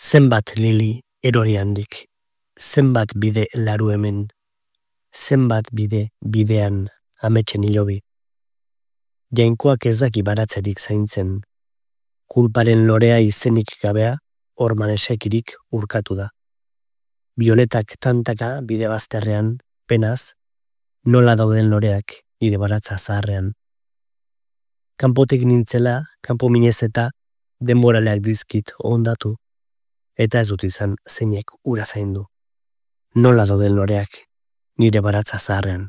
Zenbat lili erori handik, zenbat bide laru hemen, zenbat bide bidean ametsen hilobi. Jainkoak ez daki baratzerik zaintzen, kulparen lorea izenik gabea orman esekirik urkatu da. Bioletak tantaka bide bazterrean, penaz, nola dauden loreak nire baratza zaharrean. Kanpotik nintzela, kanpo minez eta denboraleak dizkit ondatu, eta ez dut izan zeinek ura zaindu. Nola dauden loreak nire baratza zaharrean.